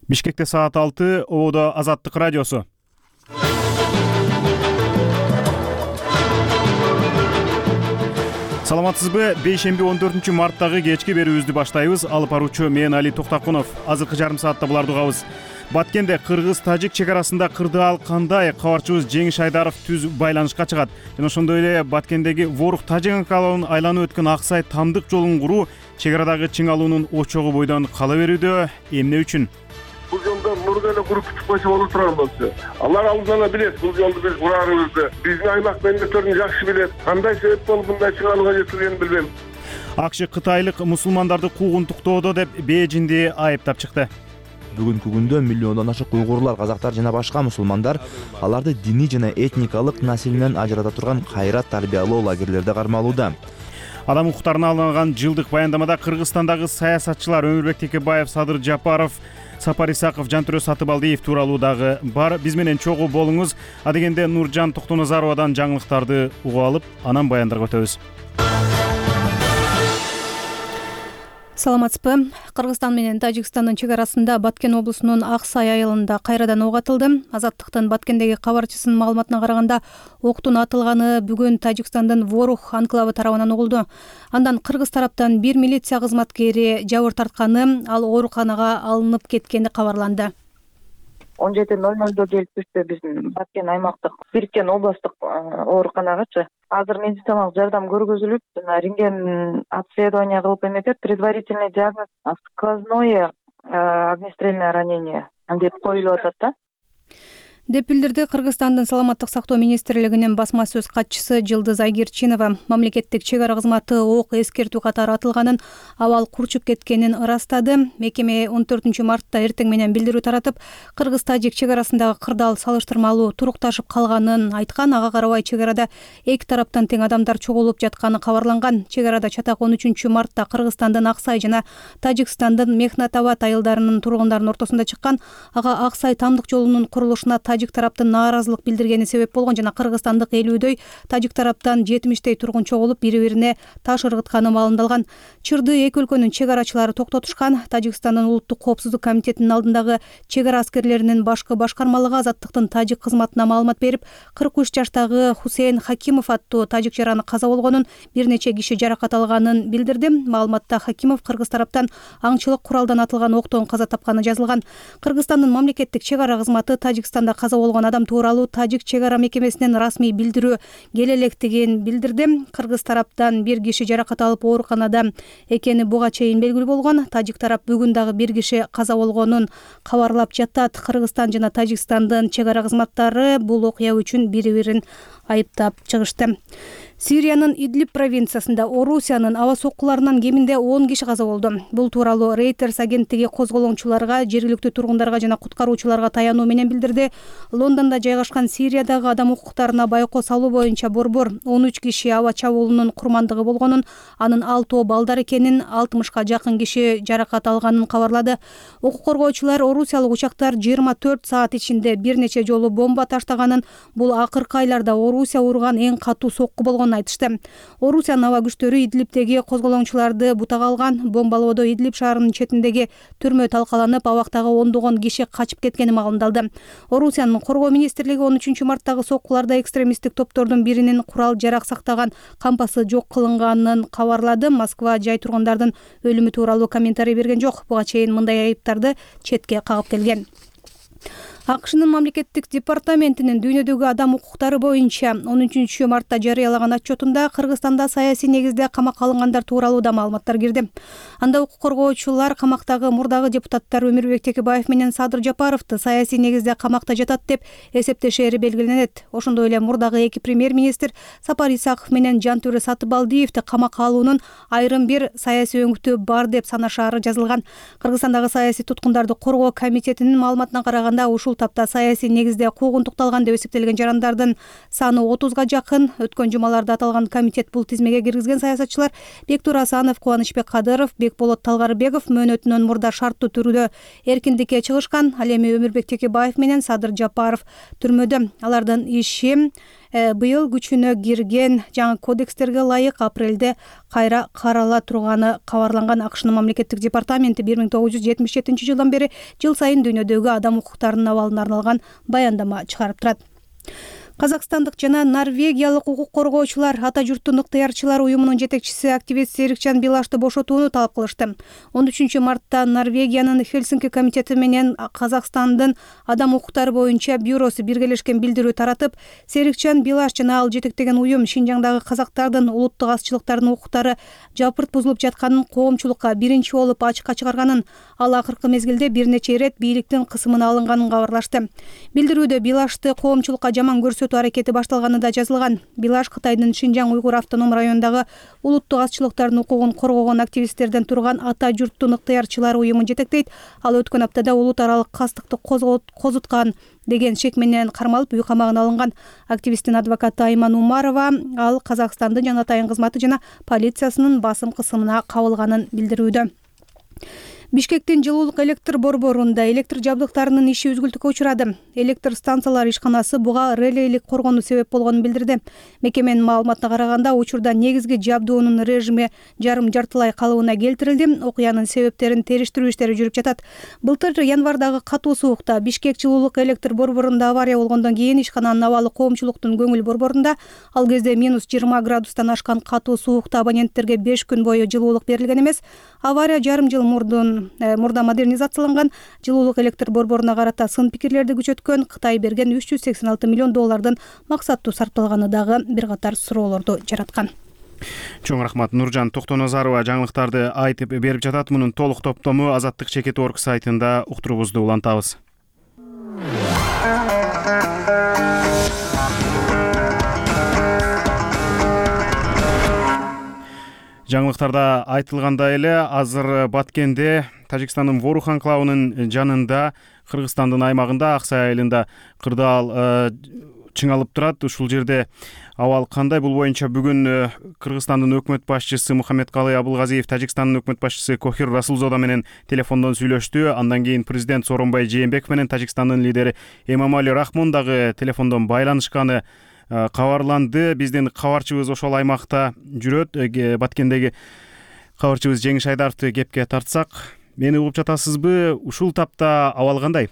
Бишкекте саат 6, Ободо Азаттык радиосу. Саламатсызбы? Бейшемби 14-марттагы кечки берүүбүздү баштайбыз. Алып баруучу мен Али Токтакунов. Азыркы жарым саатта буларды угабыз. Баткенде кыргыз-тажик чек арасында кырдаал кандай? Кабарчыбыз Жеңиш Айдаров түз байланышка чыгат. Жана ошондой эле Баткендеги Ворук-Тажик анклавын айланып өткөн Аксай Тамдык жолун куруу чек арадагы чыңалуунун очогу бойдон кала берүүдө. Эмне үчүн? Бул жолдо мурда эле куруп чыкпачы болуп турган болчу. Алар алдын ала билет бул жолду биз кураарыбызды. Биздин аймак мамлекеттерин жакшы билет. Кандай себеп болуп мындай чыгалууга жетилгенин билбейм. АКШ кытайлык мусулмандарды куугунтуктоодо деп Бээжинди айыптап чыкты. Бүгүнкү күндө миллиондон ашык уйгурлар, казактар жана башка мусулмандар аларды диний жана этникалык населенен ажырата турган кайрат тарбиялоо лагерлерде кармалууда. Адам укуктарына алынган жылдык баяндамада Кыргызстандагы саясатчылар Өмүрбек Текебаев, Садыр Жапаров, Сапар Исаков, Жантүрө Сатыбалдиев тууралуу дагы бар. Биз менен чогуу болуңуз. Адегенде Нуржан Токтоназаровадан жаңылыктарды угуп алып, анан баяндарга өтөбүз. Саламатсызбы? Кыргызстан менен Тажикстандын чек арасында Баткен облусунун Аксай айылында кайрадан ок атылды. Азаттыктын Баткендеги кабарчысынын маалыматына караганда, октун атылганы бүгүн Тажикстандын Ворук анклавы тарабынан угулду. Андан кыргыз тараптан бир милиция кызматкери жабыр тартканы, ал ооруканага алынып кеткени кабарланды. 17:00 келип түштү биздин Баткен аймактык бириккен областтык ооруканагачы. Азыр медициналык жардам көргөзүлүп, жана рентген обследование кылып эметет. Предварительный диагноз сквозное огнестрельное ранение деп коюлуп атат да. Деп билдирди Кыргызстандын саламаттык сактоо министрлигинин басма сөз катчысы Жылдыз Айгерчинова. Мамлекеттик чек ара кызматы ок эскертүү катары атылганын, абал курчуп кеткенин ырастады. Мекеме 14-мартта эртең менен билдирүү таратып, кыргыз-тажик чек арасындагы кырдаал салыштырмалуу турукташып калганын айткан. Ага карабай чек арада эки тараптан тең адамдар чогулуп жатканы кабарланган. Чек арада чатак 13-мартта Кыргызстандын Аксай жана Тажикстандын Мехнатабад айылдарынын тургундарынын ортосунда чыккан. Ага Аксай Тамдык жолунун курулушуна тажик тараптын нааразылык билдиргени себеп болгон жана кыргызстандык 50дөй, тажик тараптан 70 тургун чогулуп бири-бирине таш ыргытканы маалымдалган. Чырды эки өлкөнүн чек арачылары токтотушкан. Тажикстандын улуттук коопсуздук комитетинин алдындагы чек ара аскерлеринин башкы башкармалыгы Азаттыктын тажик кызматына маалымат берип, 43 жаштагы Хусейн Хакимов аттуу тажик жараны каза болгонун, бир нече киши жаракат алганын билдирди. Маалыматта Хакимов кыргыз тараптан аңчылык куралдан атылган октон каза тапканы жазылган. Кыргызстандын мамлекеттик чек ара кызматы Тажикстанда каза болгон адам тууралуу тажик чек ара мекемесинен расмий билдирүү келе электигин билдирди. Кыргыз тараптан бир киши жаракат алып ооруканада экени буга чейин белгилүү болгон. Тажик тарап бүгүн дагы бир киши каза болгонун кабарлап жатат. Кыргызстан жана Тажикстандын чек ара кызматтары бул окуя үчүн бири-бирин айыптап чыгышты. Сириянын Идлиб провинциясында Орусиянын аба соккуларынан кеминде 10 киши каза болду. Бул тууралуу Reuters агенттиги козголоңчуларга, жергиликтүү тургундарга жана куткаруучуларга таянуу менен билдирди. Лондондо жайгашкан Сириядагы адам укуктарына байкоо салуу боюнча борбор 13 киши аба чабуулунун курмандыгы болгонун, анын 6 балдар экенин, 60ка жакын киши жаракат алганын кабарлады. Укук коргоочулар орусиялык учактар 24 саат ичинде бир нече жолу бомба таштаганын, бул акыркы айларда Орусия урган эң катуу сокку болгонун айтышты. Орусиянын аба күчтөрү Идлибтеги козголоңчуларды бутага алган. Бомбалоодо Идлиб шаарынын четиндеги түрмө талкаланып, абактагы ондогон киши качып кеткени маалымдалды. Орусиянын коргоо министрлиги 13-марттагы соккуларда экстремисттик топтордун биринин курал жарак сактаган кампасы жок кылынганын кабарлады. Москва жай тургундардын өлүмү тууралуу комментарий берген жок. Буга чейин мындай айыптарды четке кагып келген. АКШнын мамлекеттик департаментинин дүйнөдөгү адам укуктары боюнча 13-мартта жарыялаган отчетунда Кыргызстанда саясий негизде камакка алынгандар тууралуу да маалыматтар кирди. Анда укук коргоочулар камактагы мурдагы депутаттар Өмүрбек Текебаев менен Садыр Жапаровду саясий негизде камакта жатат деп эсептешери белгиленет. Ошондой эле мурдагы эки премьер-министр Сапар Исаков менен Жантүрө Сатыбалдиевди камакка алуунун айрым бир саясий өңүтү бар деп санашаары жазылган. Кыргызстандагы саясий туткундарды коргоо комитетинин маалыматына караганда, ушул тапта саясий негизде куугунтукталган деп эсептелген жарандардын саны 30га жакын. Өткөн жумаларда аталган комитет бул тизмеге киргизген саясатчылар Бектур Асанов, Кубанычбек Кадыров, Бекболот Талгарбеков мөөнөтүнөн мурда шарттуу түрдө эркиндикке чыгышкан. Ал эми Өмүрбек Текебаев менен Садыр Жапаров түрмөдө. Алардын иши быйыл күчүнө кирген жаңы кодекстерге ылайык апрелде кайра карала турганы кабарланган. АКШнын мамлекеттик департаменти 1977 жылдан бери жыл сайын дүйнөдөгү адам укуктарынын абалына арналган баяндама чыгарып турат. Казакстандык жана норвегиялык укук коргоочулар ата журттун ыктыярчылар уюмунун жетекчиси активист Серикжан Билашты бошотууну талап кылышты. 13 мартта Норвегиянын Хельсинки комитети менен Казакстандын адам укуктары боюнча бюросу биргелешкен билдирүү таратып, Серикжан Билаш жана ал жетектеген уюм Шинжаңдагы казактардын улуттук азчылыктардын укуктары жапырт бузулуп жатканын коомчулукка биринчи болуп ачыкка чыгарганын, ал акыркы мезгилде бир нече ирет бийликтин кысымына алынганын кабарлашты. Билдирүүдө Билашты коомчулукка жаман көрсөтүү аракети башталганы да жазылган. Билаш Кытайдын Шинжаң уйгур автоном районундагы улуттук азчылыктардын укугун коргогон активисттерден турган ата журттун ыктыярчылар уюмун жетектейт. Ал өткөн аптада улут аралык кастыкты козуткан деген шек менен кармалып үй камагына алынган. Активисттин адвокаты Айман Умарова ал Казакстандын жана атайын кызматы жана полициясынын басым кысымына кабылганын билдирүүдө. Бишкектин жылуулук электр борборунда электр жабдыктарынын иши үзгүлтүккө учурады. Электр станциялар ишканасы буга релейлик коргонуу себеп болгонун билдирди. Мекеменин маалыматына караганда, учурда негизги жабдуунун режими жарым-жартылай калыбына келтирилди. Окуянын себептерин териштирүү иштери жүрүп жатат. Былтыр январдагы катуу суукта Бишкек жылуулук электр борборунда авария болгондон кийин ишкананын абалы коомчулуктун көңүл борборунда. Ал кезде -20 градустан ашкан катуу суукта абоненттерге 5 күн бою жылуулук берилген эмес. Авария жарым жыл мурда модернизацияланган. Жылуулук электр борборуна карата сын пикирлерди күчөткөн. Кытай берген $386 миллион максаттуу сарпталганы дагы бир катар суроолорду жараткан. Чоң рахмат. Нуржан Токтоназарова жаңылыктарды айтып берип жатат. Мунун толук топтому Азаттык Чекит.org сайтында уктуруубузду улантабыз. Жаңылыктарда айтылгандай эле азыр Баткенде Тажикстандын Ворух анклавынын жанында Кыргызстандын аймагында Аксай айылында кырдаал чыңалып турат. Ушул жерде абал кандай? Бул боюнча бүгүн Кыргызстандын өкмөт башчысы Мухаммедкалый Абылгазиев Тажикстандын өкмөт башчысы Кохир Расулзода менен телефондон сүйлөштү. Андан кийин президент Сооронбай Жээнбеков менен Тажикстандын лидери Эмомали Рахмон дагы телефондон байланышканы кабарланды. Биздин кабарчыбыз ошол аймакта жүрөт. Баткендеги кабарчыбыз Жеңиш Айдаровду кепке тартсак, мени угуп жатасызбы? Ушул тапта абал кандай?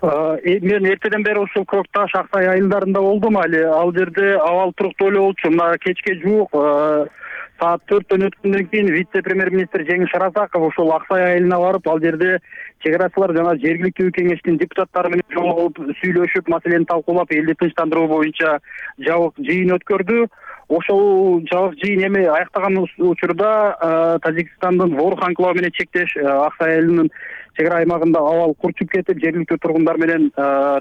Мен эртеден бери ушул Көк Таш Аксай айылдарында болдум. Ал жерде абал туруктуу эле болчу. Мына кечке жуук саат 4-төн өткөндөн кийин вице-премьер-министр Жеңиш Аразаков ушул Аксай айылына барып, ал жерде чек-арачылар жана жергиликтүү кеңештин депутаттары менен жолугуп сүйлөшүп, маселени талкуулап, элди тынчтандыруу боюнча жабык жыйын өткөрдү. Ошол жабык жыйын эми аяктаган учурда Тажикстандын Ворух анклавы менен чектеш Аксай айылынын чек ара аймагында абал курчуп кетип, жергиликтүү тургундар менен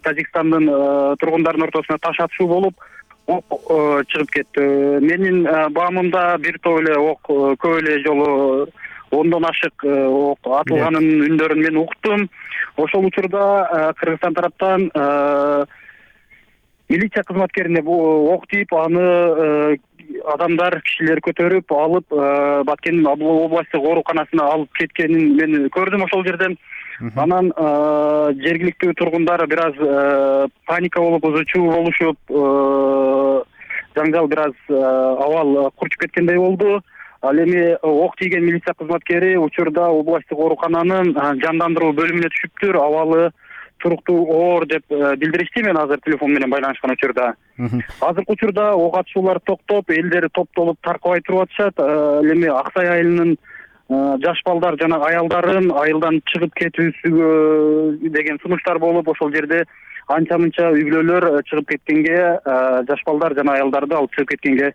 Тажикстандын тургундарынын ортосуна таш атышуу болуп, ок чыгып кетти. Менин баамымда бир топ эле ок көп эле жолу 10дон ашык ок атылганын үндөрүн мен уктум. Ошол учурда Кыргызстан тараптан милиция кызматкерине ок тийип, аны адамдар, кишилер көтөрүп алып Баткендин областтык ооруканасына алып кеткенин мен көрдүм ошол жерден. Анан жергиликтүү тургундар бир аз паника болуп, ызы-чуу болушуп, жаңжал бир аз абал курчуп кеткендей болду. Ал эми ок тийген милиция кызматкери учурда областтык оорукананын жандандыруу бөлүмүнө түшүптүр. Абалы туруктуу оор деп билдиришти. Мен азыр телефон менен байланышкан учурда. Азыркы учурда ок атышуулар токтоп, элдер топтолуп таркабай туруп атышат. Эми Аксай айылынын жаш балдар жана аялдарын айылдан чыгып кетүүсүгө деген сунуштар болуп, ошол жерде анча-мынча үй бүлөлөр чыгып кеткенге, жаш балдар жана аялдарды алып чыгып кеткенге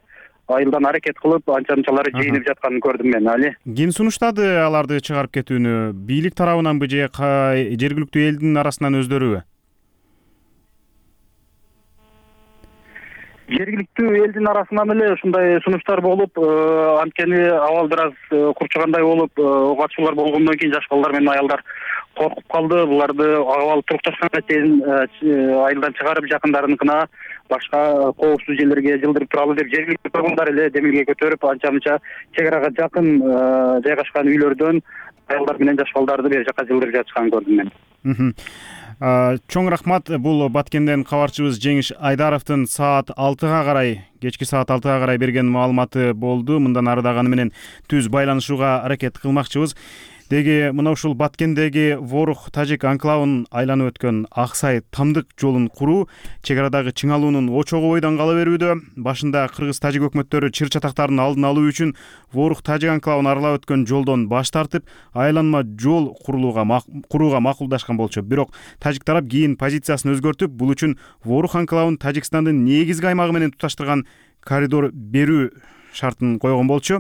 айылдан аракет кылып, анча-мынчалары жыйынып жатканын көрдүм мен. Ким сунуштады аларды чыгарып кетүүнү? Бийлик тарабынанбы же жергиликтүү элдин арасынан өздөрүбү? Жергиликтүү элдин арасынан эле ушундай сунуштар болуп, анткени абал бир аз курчугандай болуп, ок атышуулар болгондон кийин жаш балдар менен аялдар коркуп калды. Буларды абал турукташканга чейин айылдан чыгарып, жакындарыныкына башка коопсуз жерлерге жылдырып туралы деп жергиликтүү тургундар эле демилге көтөрүп, анча-мынча чек арага жакын жайгашкан үйлөрдөн аялдар менен жаш балдарды бери жака жылдырып жатышканын көрдүм мен. Чоң рахмат. Бул Баткенден кабарчыбыз Жеңиш Айдаровдун кечки саат 6-га карай берген маалыматы болду. Мындан ары дагы аны менен түз байланышууга аракет кылмакчыбыз. Деги мына ушул Баткендеги Ворух тажик анклавын айланып өткөн Аксай Тамдык жолун куруу чек арадагы чыңалуунун очогу бойдон кала берүүдө. Башында кыргыз тажик өкмөттөрү чыр чатактарын алдын алуу үчүн Ворух тажик анклавын аралап өткөн жолдон баш тартып, айланма жол курууга макулдашкан болчу. Бирок тажик тарап кийин позициясын өзгөртүп, бул үчүн Ворух анклавын Тажикстандын негизги аймагы менен туташтырган коридор берүү шартын койгон болчу.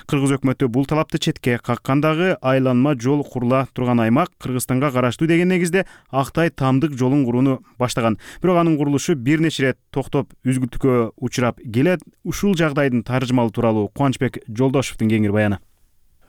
Кыргыз өкмөтү бул талапты четке каккандагы айланма жол курула турган аймак Кыргызстанга караштуу деген негизде Актай Тамдык жолун курууну баштаган. Бирок анын курулушу бир нече ирет токтоп үзгүлтүккө учурап келет. Ушул жагдайдын таржымалы тууралуу Кубанычбек Жолдошевдун кеңири баяны.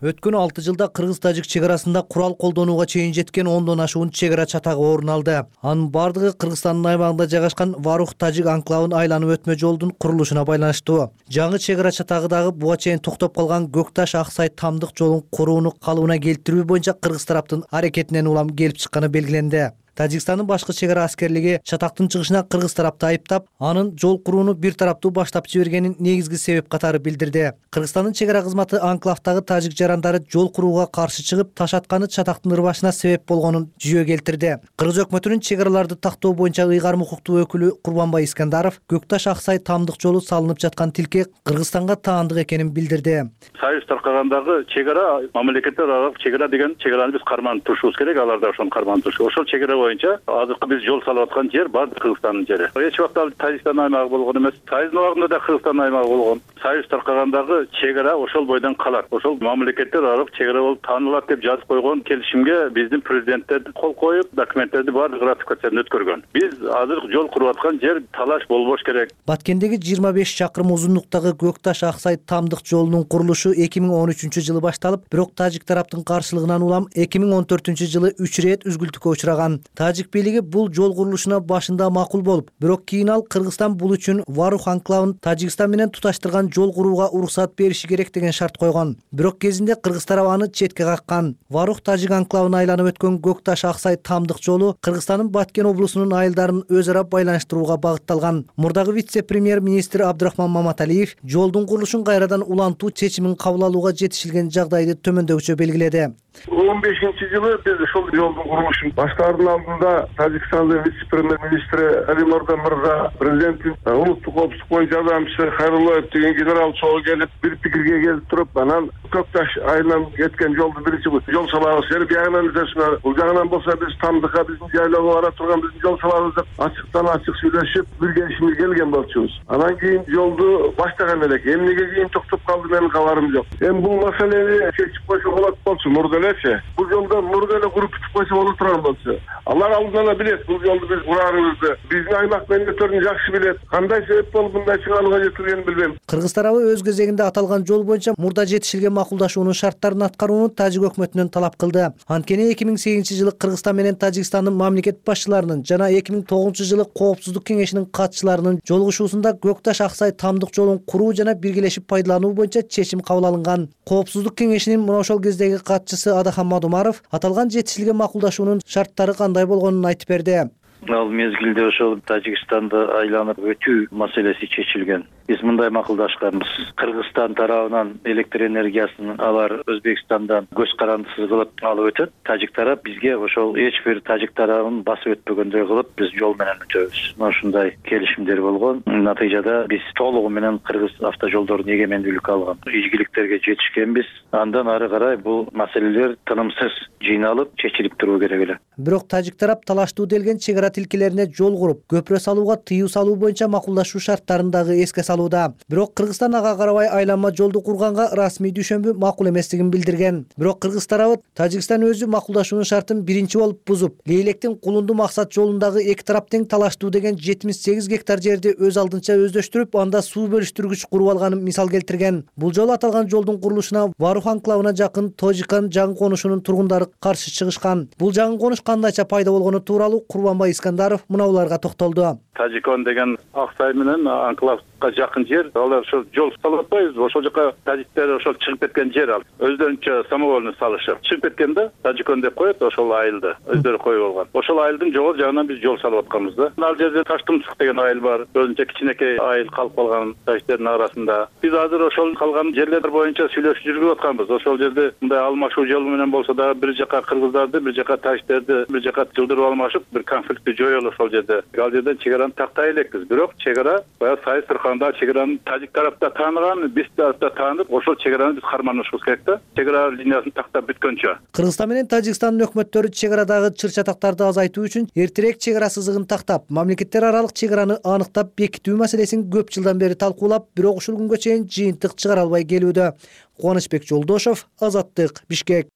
Өткөн 6 жылда кыргыз-тажик чек арасында курал колдонууга чейин жеткен 10дон ашуун чек ара чатагы орун алды. Анын бардыгы Кыргызстандын аймагында жайгашкан Ворух тажик анклавын айланып өтмө жолдун курулушуна байланыштуу. Жаңы чек ара чатагы дагы буга чейин токтоп калган Көкташ Аксай Тамдык жолун курууну калыбына келтирүү боюнча кыргыз тараптын аракетинен улам келип чыкканы белгиленди. Тажикстандын башкы чек ара аскерлиги чатактын чыгышына кыргыз тарапты айыптап, анын жол курууну бир тараптуу баштап жибергенин негизги себеп катары билдирди. Кыргызстандын чек ара кызматы анклавдагы тажик жарандары жол курууга каршы чыгып, таш атканы чатактын ырбашына себеп болгонун жүйө келтирди. Кыргыз өкмөтүнүн чек араларды тактоо боюнча ыйгарым укуктуу өкүлү Курбанбай Искандаров Көкташ Аксай Тамдык жолу салынып жаткан тилке Кыргызстанга таандык экенин билдирди. Союз таркагандагы чек ара мамлекеттер аралык чек ара деген чек араны биз карманып турушубуз керек, алар да ошону карманып турушу. Ошол чек ара боюнча азыркы биз жол салып аткан жер баардык Кыргызстандын жери. Эч убакта Тажикстандын аймагы болгон эмес. Союздун убагында да Кыргызстандын аймагы болгон. Союз таркагандагы чек ара ошол бойдон калат. Ошол мамлекеттер аралык чек ара болуп таанылат деп жазып койгон келишимге биздин президенттер кол коюп, документтерди баардык ратификациядан өткөргөн. Биз азыр жол куруп аткан жер талаш болбош керек. Баткендеги 25 чакырым узунлуктагы Көкташ Аксай Тамдык жолунун курулушу 2013-жылы башталып, бирок тажик тараптын каршылыгынан улам 2014-жылы 3 ирет үзгүлтүккө учураган. Тажик бийлиги бул жол курулушуна башында макул болуп, бирок кийин ал Кыргызстан бул үчүн Ворух анклавын Тажикстан менен туташтырган жол курууга уруксат бериши керек деген шарт койгон. Бирок кезинде кыргыз тарабы аны четке каккан. Ворух тажик анклавын айланып өткөн Көкташ Аксай Тамдык жолу Кыргызстандын Баткен облусунун айылдарын өз ара байланыштырууга багытталган. Мурдагы вице-премьер-министр Абдрахман Маматалиев жолдун курулушун кайрадан улантуу чечимин кабыл алууга жетишилген жагдайды төмөндөгүчө белгиледи. 15-жылы биз ошол жолдун курулушун баштаардын алдында Тажикстандын вице-премьер-министри Али Мордан мырза, президенттин улуттук коопсуздук боюнча жардамчысы Хайруллаев деген генерал чогуу келип, бир пикирге келип туруп, анан Көкташ айынан кеткен жолду биринчи жол салабыз деп, бягынан изесине, бул жагынан болсо биз Тамдыкка биздин жайлоого бара турган биздин жол салабыз деп ачыктан ачык сүйлөшүп, бир келишимге келген болчубуз. Анан кийин жолду баштаган элек. Эмнеге кийин токтоп калды менин кабарым жок. Эми бул маселени чечип койсо болот болчу, мурда элечи. Бул жолдо мурда эле куруп бүтүп койсо боло турган болчу. Алар алдынан эле билет, бул жолду биз кураарыбызды. Биздин аймак менеджерлери жакшы билет. Кандай себеп болуп мындай чыгарууга жетилгенин билбейм. Кыргыз тарабы өз кезегинде аталган жол боюнча мурда жетишилген макулдашуунун шарттарын аткарууну тажик өкмөтүнөн талап кылды. Анткени 2008-жылы Кыргызстан менен Тажикстандын мамлекет башчыларынын жана 2009-жылы Коопсуздук кеңешинин катчыларынын жолугушуусунда Көкташ Аксай Тамдык жолун куруу жана биргелешип пайдалануу боюнча чечим кабыл алынган. Коопсуздук кеңешинин мына ошол кездеги катчысы Адахан Мадумаров аталган жетишилген макулдашуунун шарттары кандай болгонун айтып берди. Ал мезгилде ошол Тажикстанды айланып өтүү маселеси чечилген. Биз мындай макулдашканбыз. Кыргызстан тарабынан электр энергиясын алар Өзбекстандан көз карандысыз кылып алып өтөт. Тажик тарап бизге ошол эч бир тажик тарабын басып өтпөгөндөй кылып биз жол менен өтөбүз. Ушундай келишимдер болгон. Натыйжада биз толугу менен кыргыз автожолдорун эгемендүүлүккө алган. Ийгиликтерге жетишкенбиз. Андан ары карай бул маселелер тынымсыз жыйналып чечилип туруу керек эле. Бирок тажик тарап талаштуу делген чек ара тилкелерине жол куруп, көпүрө салууга тыюу салуу боюнча макулдашуу шарттарын дагы эске салууда. Бирок Кыргызстан ага карабай айланма жолду курганга расмий түшүнбү макул эместигин билдирген. Бирок кыргыз тарабы Тажикстан өзү макулдашуунун шартын биринчи болуп бузуп, Лейлектин Кулунду максат жолундагы эки тарап тең талаштуу деген 78 гектар жерди өз алдынча өздөштүрүп, анда суу бөлүштүргүч куруп алганын мисал келтирген. Бул жолу аталган жолдун курулушуна Ворух анклавына жакын Тожикан жаңы конушунун тургундары каршы чыгышкан. Бул жаңы конуш кандайча пайда болгону тууралуу Курбанбай Искандаров мына буларга токтолду. Тажикон деген Аксай менен анклавга Башкортовска жакын жер, алар ошол жол салып атпайбызбы? Ошол жака тажиктер ошол чыгып кеткен жер ал. Өздөрүнчө самовольный салышып. Чыгып кеткен да, Тажикон деп коет, ошол айылды өздөрү коюп алган. Ошол айылдын жогору жагынан биз жол салып атканбыз да. Ал жерде Таштымсык деген айыл бар. Өзүнчө кичинекей айыл калып калган тажиктердин арасында. Биз азыр ошол калган жерлер боюнча сүйлөшүү жүргүзүп атканбыз. Ошол жерде мындай алмашуу жолу менен болсо дагы бир жака кыргыздарды, бир жака тажиктерди бир жака жылдырып алмашып, бир конфликтти жоелу ошол жерде. Ал жерден чек араны тактай элекпиз. Бирок чек ара баягы Сайыс Сырканда чек араны тажик тарапта тааныган, биз тарапта таанып, ошол чек араны биз карманышыбыз керек да. Чек ара линиясын тактап бүткөнчө. Кыргызстан менен Тажикстандын өкмөттөрү чек арадагы чыр-чатактарды азайтуу үчүн эртерээк чек ара сызыгын тактап, мамлекеттер аралык чек араны аныктап бекитүү маселесин көп жылдан бери талкуулап, бирок ушул күнгө чейин жыйынтык чыгара албай келүүдө. Кубанычбек Жолдошов, Азаттык, Бишкек.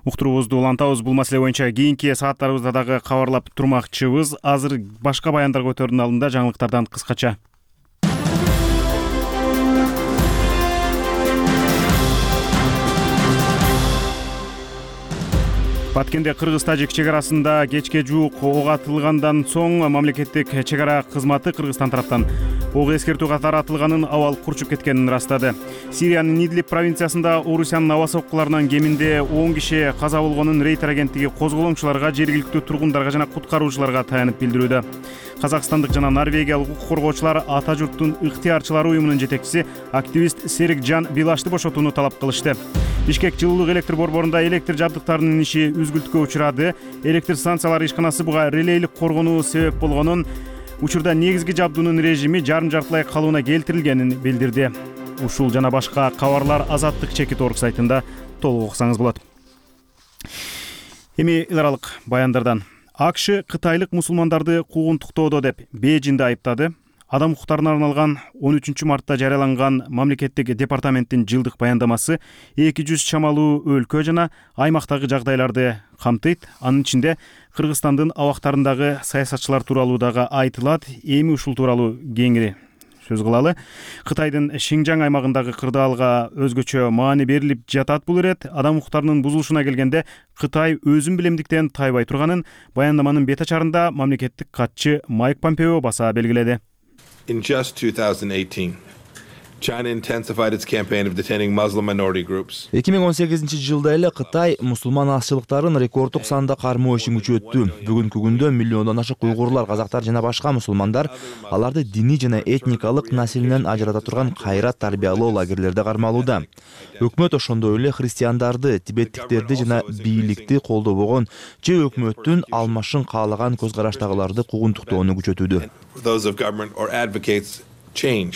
Уктуруубузду улантабыз. Бул маселе боюнча кийинки сааттарыбызда дагы кабарлап турмакчыбыз. Азыр башка баяндар көтөрүүнүн алдында жаңылыктардан кыскача. Баткенде кыргыз-тажик чек арасында кечке жуук ок атылгандан соң мамлекеттик чек ара кызматы Кыргызстан тараптан ок эскертүү катары атылганын, абал курчуп кеткенин ырастады. Сириянын Идлиб провинциясында Орусиянын аба соккуларынан кеминде 10 киши каза болгонун Рейтер агенттиги козголоңчуларга, жергиликтүү тургундарга жана куткаруучуларга таянып билдирүүдө. Казакстандык жана норвегиялык укук коргоочулар ата журттун ыктыярчылары уюмунун жетекчиси активист Серикжан Билашты бошотууну талап кылышты. Бишкек жылуулук электр борборунда электр жабдыктарынын иши үзгүлтүккө учурады. Электр станциялары ишканасы буга релейлик коргонуу себеп болгонун, учурда негизги жабдуунун режими жарым-жартылай калыбына келтирилгенин билдирди. Ушул жана башка кабарлар Азаттык Чекит.орг сайтында толук окусаңыз болот. Эми эл аралык баяндардан. АКШ кытайлык мусулмандарды куугунтуктоодо деп Бейжиңди айыптады. Адам укуктарына арналган 13 мартта жарыяланган мамлекеттик департаменттин жылдык баяндамасы 200 чамалуу өлкө жана аймактагы жагдайларды камтыйт. Анын ичинде Кыргызстандын абактарындагы саясатчылар тууралуу дагы айтылат. Эми ушул тууралуу кеңири сөз кылалы. Кытайдын Шинжаң аймагындагы кырдаалга өзгөчө маани берилип жатат бул ирет. Адам укуктарынын бузулушуна келгенде Кытай өзүн билемдиктен тайбай турганын баяндаманын бет ачарында мамлекеттик катчы Майк Помпео баса белгиледи. In just 2018, China intensified its campaign of detaining Muslim minority groups. 2018-жылда эле Кытай мусулман азчылыктарын рекорддук санда кармоо ишин күчөттү. Бүгүнкү күндө миллиондон ашык уйгурлар, казактар жана башка мусулмандар аларды диний жана этникалык населинен ажырата турган кайрат тарбиялоо лагерлерде кармалууда. Өкмөт ошондой эле христиандарды, тибеттиктерди жана бийликти колдобогон же өкмөттүн алмашын каалаган көз караштагыларды куугунтуктоону күчөтүүдө. Those of government or advocates change.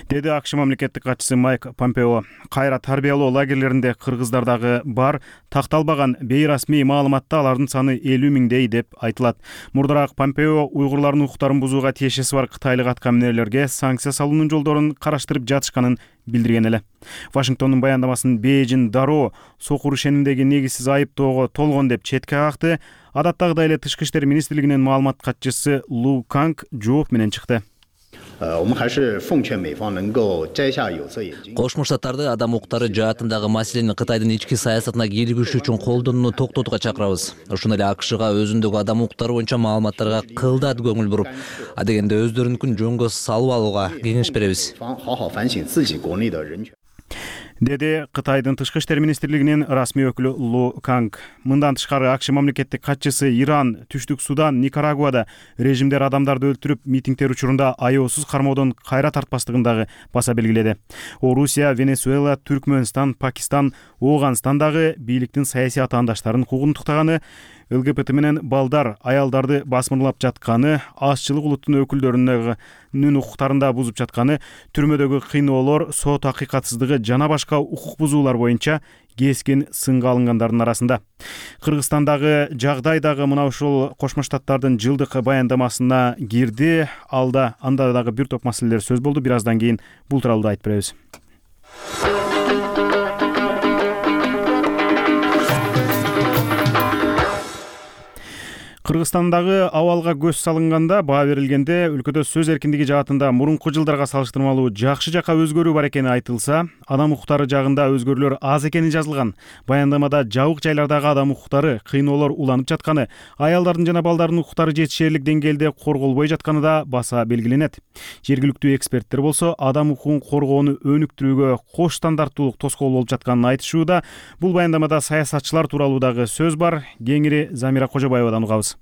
Деди АКШ мамлекеттик катчысы Майк Помпео. Кайра тарбиялоо лагерлеринде кыргыздар дагы бар. Такталбаган бейрасмий маалыматта алардын саны 50 миңдей деп айтылат. Мурдараак Помпео уйгурлардын укуктарын бузууга тиешеси бар кытайлык аткаминерлерге санкция салуунун жолдорун караштырып жатышканын билдирген эле. Вашингтондун баяндамасын Бейжиң дароо сокур ишенимдеги негизсиз айыптоого толгон деп четке какты. Адаттагыдай эле Тышкы иштер министрлигинин маалымат катчысы Лу Канг жооп менен чыкты. Кошмо Штаттарды адам укуктары жаатындагы маселени Кытайдын ички саясатына кийлигишүү үчүн колдонууну токтотууга чакырабыз. Ошондой эле АКШга өзүндөгү адам укуктары боюнча маалыматтарга кылдат көңүл буруп, адегенде өздөрүнүкүн жөнгө салып алууга кеңеш беребиз. Деди Кытайдын Тышкы иштер министрлигинин расмий өкүлү Лу Канг. Мындан тышкары АКШ мамлекеттик катчысы Иран, Түштүк Судан, Никарагуада режимдер адамдарды өлтүрүп, митингдер учурунда аеосуз кармоодон кайра тартпастыгын дагы баса белгиледи. Орусия, Венесуэла, Түркмөнстан, Пакистан, Ооганстандагы бийликтин саясий атаандаштарын куугунтуктаганы, ЛГБТ менен балдар, аялдарды басмырлап жатканы, азчылык улуттун өкүлдөрүнүн укуктарында бузуп жатканы, түрмөдөгү кыйноолор, сот акыйкатсыздыгы жана башка укук бузуулар боюнча кескин сынга алынгандардын арасында. Кыргызстандагы жагдай дагы мына ушул Кошмо Штаттардын жылдык баяндамасына кирди. Анда дагы бир топ маселелер сөз болду. Бир аздан кийин бул тууралуу да айтып беребиз. Кыргызстандагы абалга көз салынганда баа берилгенде өлкөдө сөз эркиндиги жаатында мурунку жылдарга салыштырмалуу жакшы жакка өзгөрүү бар экени айтылса, адам укуктары жагында өзгөрүүлөр аз экени жазылган. Баяндамада жабык жайлардагы адам укуктары, кыйноолор уланып жатканы, аялдардын жана балдардын укуктары жетишээрлик деңгээлде корголбой жатканы да баса белгиленет. Жергиликтүү эксперттер болсо адам укугун коргоону өнүктүрүүгө кош стандарттуулук тоскоол болуп жатканын айтышууда. Бул баяндамада саясатчылар тууралуу дагы сөз бар. Кеңири Замира Кожобаевадан угабыз.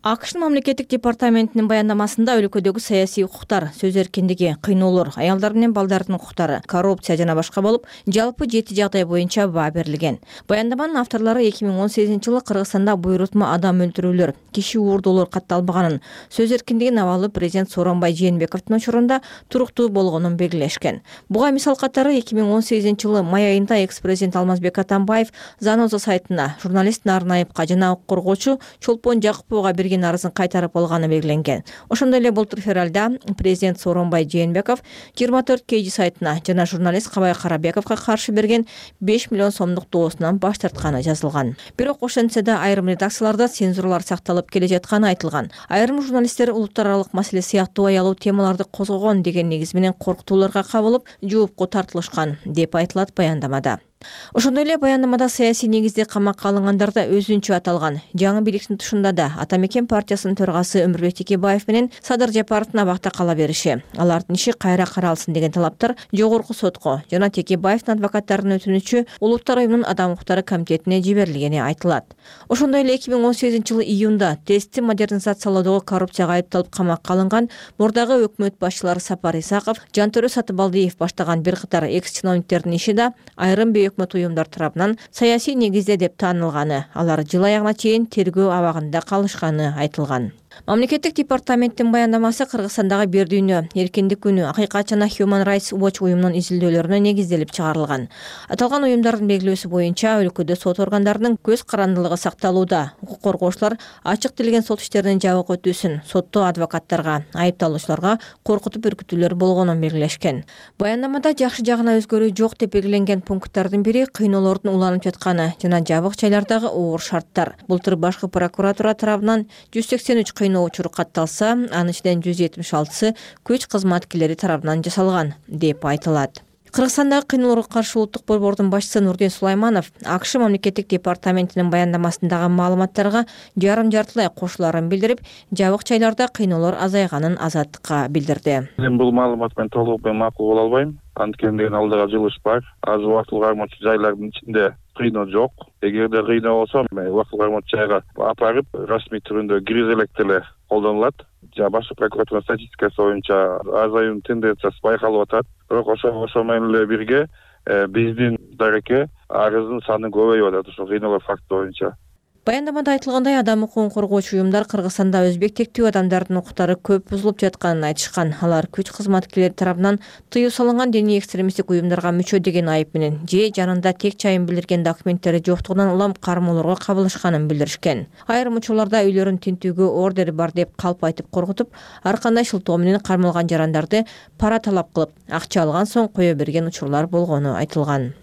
АКШнын мамлекеттик департаментинин баяндамасында өлкөдөгү саясий укуктар, сөз эркиндиги, кыйноолор, аялдар менен балдардын укуктары, коррупция жана башка болуп, жалпы 7 жагдай боюнча баа берилген. Баяндаманын авторлору 2018-жылы Кыргызстанда буйрутма адам өлтүрүүлөр, киши уурдоолор катталбаганын, сөз эркиндигин абалы президент Сооронбай Жээнбековдун учурунда туруктуу болгонун белгилешкен. Буга мисал катары 2018-жылы май айында экс-президент Алмазбек Атамбаев Заноза сайтына журналист Нарын Айыпка жана укук коргоочу Чолпон Жакыповго арызын кайтарып алганы белгиленген. Ошондой эле былтыр февралда президент Сооронбай Жээнбеков 24 KG сайтына жана журналист Кабай Карабековго каршы берген 5 миллион сомдук доосунан баш тартканы жазылган. Бирок ошентсе да айрым редакцияларда цензуралар сакталып келе жатканы айтылган. Айрым журналисттер улуттар аралык маселе сыяктуу аялуу темаларды козгогон деген негиз менен коркутууларга кабылып, жоопко тартылышкан деп айтылат баяндамада. Ошондой эле баяндамада саясий негизде камакка алынгандар да өзүнчө аталган. Жаңы бийликтин тушунда да Ата Мекен партиясынын төрагасы Өмүрбек Текебаев менен Садыр Жапаровдун абакта кала бериши, алардын иши кайра каралсын деген талаптар жогорку сотко жана Текебаевдин адвокаттарынын өтүнүчү Улуттар уюмунун адам укуктары комитетине жиберилгени айтылат. Ошондой эле 2018-жылы июнда тестти модернизациялоодогу коррупцияга айыпталып камакка алынган мурдагы өкмөт башчылары Сапар Исаков, Жантөрө Сатыбалдиев баштаган бир катар экс-чиновниктердин иши да айрым өкмөт уюмдар тарабынан саясий негизде деп таанылганы, алар жыл аягына чейин тергөө абагында калышканы айтылган. Мамлекеттик департаменттин баяндамасы Кыргызстандагы бир дүйнө, эркиндик күнү, Акыйкат жана Human Rights Watch уюмунун изилдөөлөрүнө негизделип чыгарылган. Аталган уюмдардын белгилөөсү боюнча өлкөдө сот органдарынын көз карандылыгы сакталууда. Укук коргоочулар ачык тилген сот иштеринин жабык өтүүсүн сотто адвокаттарга, айыпталуучуларга коркутуп үркүтүүлөр болгонун белгилешкен. Баяндамада жакшы жагына өзгөрүү жок деп белгиленген пункттардын бири кыйноолордун уланып жатканы жана жабык жайлардагы оор шарттар. Былтыр башкы прокуратура тарабынан 183 кыйноо учуру катталса, анын ичинен 176-сы күч кызматкерлери тарабынан жасалган деп айтылат. Кыргызстандагы кыйноолорго каршы улуттук борбордун башчысы Нурдин Сулайманов АКШ мамлекеттик департаментинин баяндамасындагы маалыматтарга жарым-жартылай кошуларын билдирип, жабык жайларда кыйноолор азайганын Азаттыкка билдирди. Мен бул маалымат менен толук макул боло албайм. Анткени алдыга жылыш бар. Азыр убактылуу кармоочу жайлардын ичинде кыйноо жок. Эгерде кыйноо болсо, убактылуу кармоочу жайга апарып, расмий түрүндө киргизе элек деле колдонулат. Башкы прокуратура статистикасы боюнча азаюунун тенденциясы байкалып атат. Бирок ошо менен эле бирге биздин дареке арыздын саны көбөйүп атат ошо кыйноолор факти боюнча. Баяндамада айтылгандай, адам укугун коргоочу уюмдар Кыргызстанда өзбек тектүү адамдардын укуктары көп бузулуп жатканын айтышкан. Алар күч кызматкерлери тарабынан тыюу салынган диний экстремисттик уюмдарга мүчө деген айып менен же жанында тек чайын билдирген документтери жоктугунан улам кармоолорго кабылышканын билдиришкен. Айрым учурларда үйлөрүн тинтүүгө ордер бар деп калп айтып коркутуп, ар кандай шылтоо менен кармалган жарандарды пара талап кылып, акча алган соң кое берген учурлар болгону айтылган.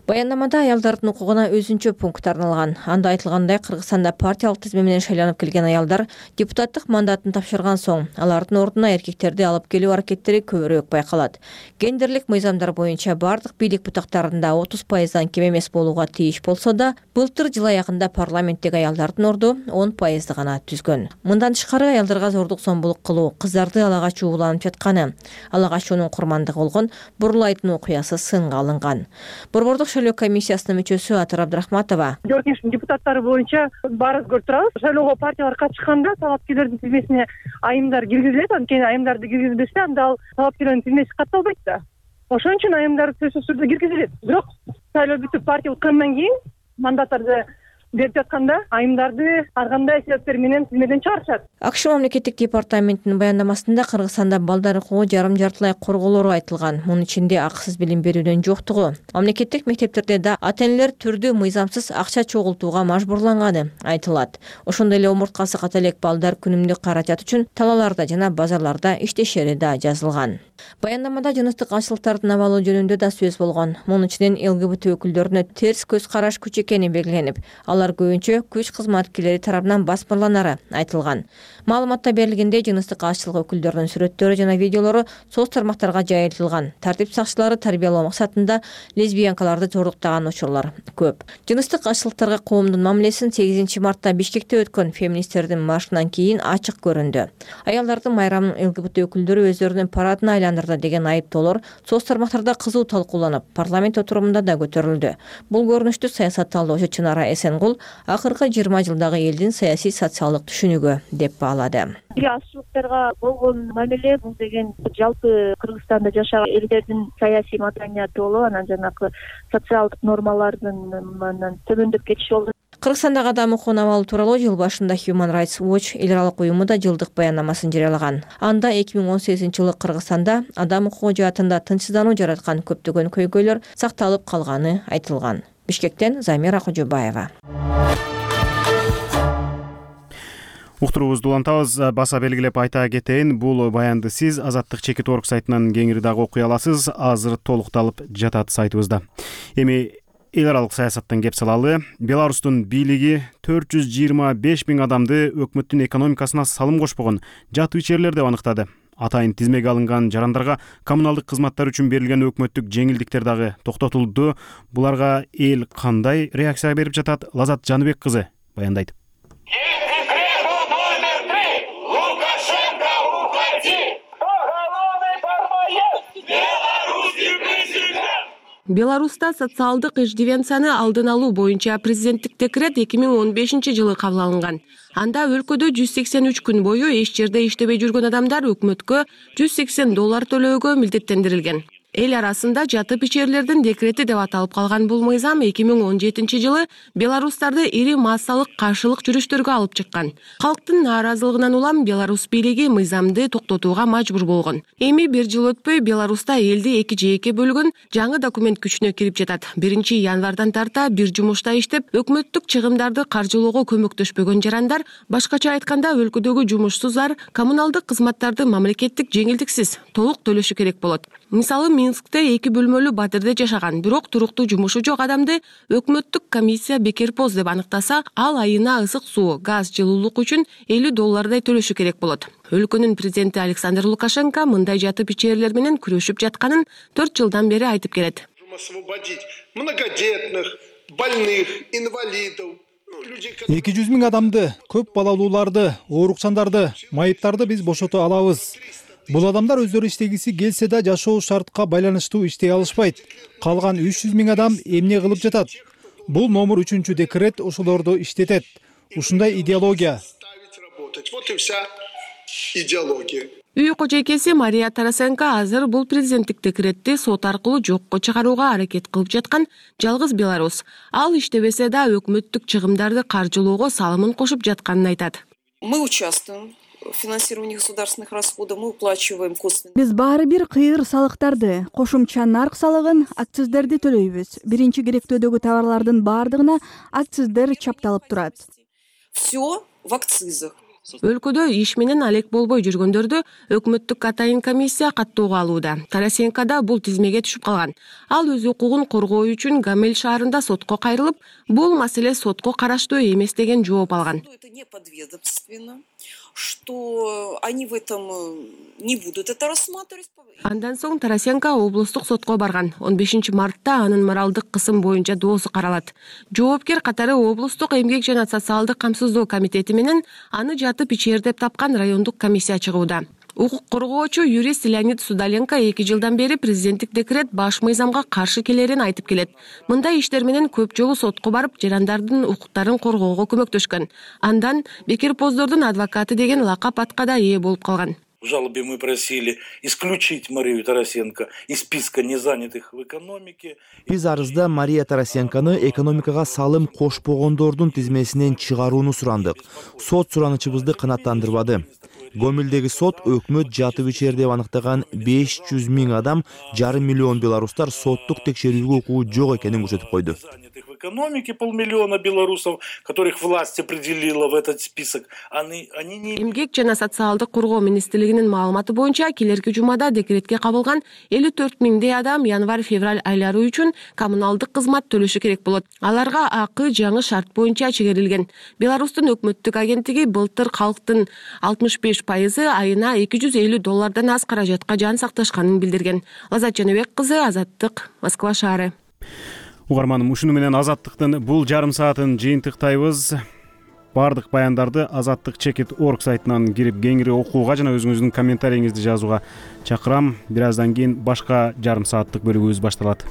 Баяндамада аялдардын укугуна өзүнчө пункт арналган. Анда айтылгандай, Кыргызстанда партиялык тизме менен шайланып келген аялдар депутаттык мандатын тапшырган соң, алардын ордуна эркектерди алып келүү аракеттери көбүрөөк байкалат. Гендерлик мыйзамдар боюнча бардык бийлик бутактарында 30%дан кем эмес болууга тийиш болсо да, былтыр жыл аягында парламенттеги аялдардын орду 10% гана түзгөн. Мындан тышкары аялдарга зордук зомбулук кылуу, кыздарды ала качуу уланып жатканы, ала качуунун курмандыгы болгон Бурлайдын окуясы сынга алынган. Борбордук шайлоо комиссиясынын мүчөсү Атыр Абдрахматова: Жогорку депутаттары боюнча баары көрүп турабыз. Шайлоого партиялар катышканда талапкерлердин тизмесине айымдар киргизилет. Анткени айымдарды киргизбесе, анда ал талапкерлердин тизмеси катталбайт да. Ошон үчүн айымдар сөзсүз түрдө киргизилет. Бирок шайлоо бүтүп партия уткандан кийин мандаттарды берип жатканда айымдарды ар кандай себептер менен тизмеден чыгарышат. АКШ мамлекеттик департаментинин баяндамасында Кыргызстанда балдар укугу жарым-жартылай корголору айтылган. Мунун ичинде акысыз билим берүүдөн жоктугу, мамлекеттик мектептерде да ата-энелер түрдүү мыйзамсыз акча чогултууга мажбурланганы айтылат. Ошондой эле омурткасы ката элек балдар күнүмдүк каражат үчүн талааларда жана базарларда иштешери да жазылган. Баяндамада жыныстык аңчылыктардын абалы жөнүндө да сөз болгон. Мунун ичинен ЛГБТ өкүлдөрүнө терс көз караш күч экени белгиленип, алар Алар көбүнчө күч кызматкерлери тарабынан басмырланары айтылган. Маалыматта берилгендей, жыныстык азчылык өкүлдөрүнүн сүрөттөрү жана видеолору соц тармактарга жайылтылган. Тартип сакчылары тарбиялоо максатында лесбиянкаларды зордуктаган учурлар көп. Жыныстык азчылыктарга коомдун мамилесин 8 мартта Бишкекте өткөн феминисттердин маршынан кийин ачык көрүндү. Аялдардын майрамын ЛГБТ өкүлдөрү өздөрүнүн парадына айландырды деген айыптоолор соц тармактарда кызуу талкууланып, парламент отурумунда да көтөрүлдү. Бул көрүнүштү саясат талдоочу Чынара Эсенгул акыркы 20 жылдагы элдин саясий социалдык түшүнүгү деп баалады. Азчылыктарга болгон мамиле бул деген жалпы Кыргызстанда жашаган элдердин саясий маданияты болуп, анан жанагы социалдык нормалардын төмөндөп кетиши болду. Кыргызстандагы адам укугун абалы тууралуу жыл башында Human Rights Watch эл аралык уюму да жылдык баяннамасын жарыялаган. Анда 2018-жылы Кыргызстанда адам укугу жаатында тынчсыздануу жараткан көптөгөн көйгөйлөр сакталып калганы айтылган. Бишкектен Замира Кожобаева. Уктуруубузду улантабыз. Баса белгилеп айта кетейин, бул баянды сиз Азаттык.org сайтынан кеңири дагы окуй аласыз. Азыр толукталып жатат сайтыбызда. Эми эл аралык саясаттан кеп салалы. Беларустун бийлиги 425 000 адамды өкмөттүн экономикасына салым кошпогон жат ичерлер деп аныктады. Атайын тизмеге алынган жарандарга коммуналдык кызматтар үчүн берилген өкмөттүк жеңилдиктер дагы токтотулду. Буларга эл кандай реакция берип жатат? Лазат Жаныбек кызы баяндайт. Беларуста социалдык иждивенцияны алдын алуу боюнча президенттик декрет 2015-жылы кабыл алынган. Анда өлкөдө 183 күн бою эч жерде иштебей жүргөн адамдар өкмөткө $180 төлөөгө милдеттендирилген. Эл арасында жатып ичерлердин декрети деп аталып калган бул мыйзам 2017-жылы беларустарды ири массалык каршылык жүрүштөргө алып чыккан. Калктын нааразылыгынан улам Беларусь бийлиги мыйзамды токтотууга мажбур болгон. Эми бир жыл өтпөй Беларуста элди эки жээкке бөлгөн жаңы документ күчүнө кирип жатат. 1-январдан тарта бир жумушта иштеп, өкмөттүк чыгымдарды каржылоого көмөктөшпөгөн жарандар, башкача айтканда өлкөдөгү жумушсуздар коммуналдык кызматтарды мамлекеттик жеңилдиксиз толук төлөшү керек болот. Мисалы, Минскте 2 бөлмөлүү батирде жашаган, бирок туруктуу жумушу жок адамды өкмөттүк комиссия бекерпоз деп аныктаса, ал айына ысык суу, газ, жылуулук үчүн $50 төлөшү керек болот. Өлкөнүн президенти Александр Лукашенко мындай жатып ичерлер менен күрөшүп жатканын 4 жылдан бери айтып келет. Освободить многодетных, больных, инвалидов. 200 000 адамды, көп балалууларды, оорукчандарды, майыптарды биз бошото алабыз. Бул адамдар өздөрү иштегиси келсе да жашоо шартка байланыштуу иштей алышпайт. Калган 300 000 адам эмне кылып жатат? Бул номер 3 декрет ошолорду иштетет. Ушундай идеология. Вот и вся идеология. Үй кожойкеси Мария Тарасенко азыр бул президенттик декретти сот аркылуу жокко чыгарууга аракет кылып жаткан жалгыз беларус. Ал иштебесе да өкмөттүк чыгымдарды каржылоого салымын кошуп жатканын айтат. Мы участвуем в финансировании государственных расходов, мы уплачиваем косвенные. Биз баары бир кыйыр салыктарды, кошумча нарк салыгын, акциздерди төлөйбүз. Биринчи керектөөдөгү товарлардын баардыгына акциздер чапталып турат. Все в акцизах. Өлкөдө иш менен алек болбой жүргөндөрдү өкмөттүк атайын комиссия каттоого алууда. Тарасенко да бул тизмеге түшүп калган. Ал өз укугун коргоо үчүн Гамель шаарында сотко кайрылып, бул маселе сотко караштуу эмес деген жооп алган. Это не подведомственно, что они в этом не будут это рассматривать. Андан соң Тарасенко облустук сотко барган. 15 мартта анын моралдык кысым боюнча доосу каралат. Жоопкер катары облустук эмгек жана социалдык камсыздоо комитети менен аны жатып ичер деп тапкан райондук комиссия чыгууда. Укук коргоочу юрист Леонид Судаленко 2 жылдан бери президенттик декрет баш мыйзамга каршы келерин айтып келет. Мындай иштер менен көп жолу сотко барып, жарандардын укуктарын коргоого көмөктөшкөн. Андан бекерпоздордун адвокаты деген лакап атка да ээ болуп калган. В жалобе мы просили исключить Марию Тарасенко из списка незанятых в экономике. Биз арызда Мария Тарасенканы экономикага салым кошпогондордун тизмесинен чыгарууну сурандык. Сот суранычыбызды канааттандырбады. Гомелдеги сот өкмөт жатып ичер деп аныктаган 500 000 адам, $500 000 беларустар соттук текшерүүгө укугу жок экенин көрсөтүп койду. экономики 500 000 белорусов, которых власть определила в этот список, они не... Эмгек жана социалдык коргоо министрлигинин маалыматы боюнча келерки жумада декретке кабылган 54 000 адам январь-февраль айлары үчүн коммуналдык кызмат төлөшү керек болот. Аларга акы жаңы шарт боюнча чегерилген. Беларустун өкмөттүк агенттиги былтыр калктын 65% айына $250 аз каражатка жан сакташканын билдирген. Лазат Жаныбек кызы, Азаттык, Москва шаары. Угарманым, ушуну менен Азаттыктын бул жарым саатын жыйынтыктайбыз. Бардык баяндарды azattik.org сайтынан кирип кеңири окууга жана өзүңүздүн комментарийиңизди жазууга чакырам. Бир аздан кийин башка жарым сааттык бөлүгүбүз башталат.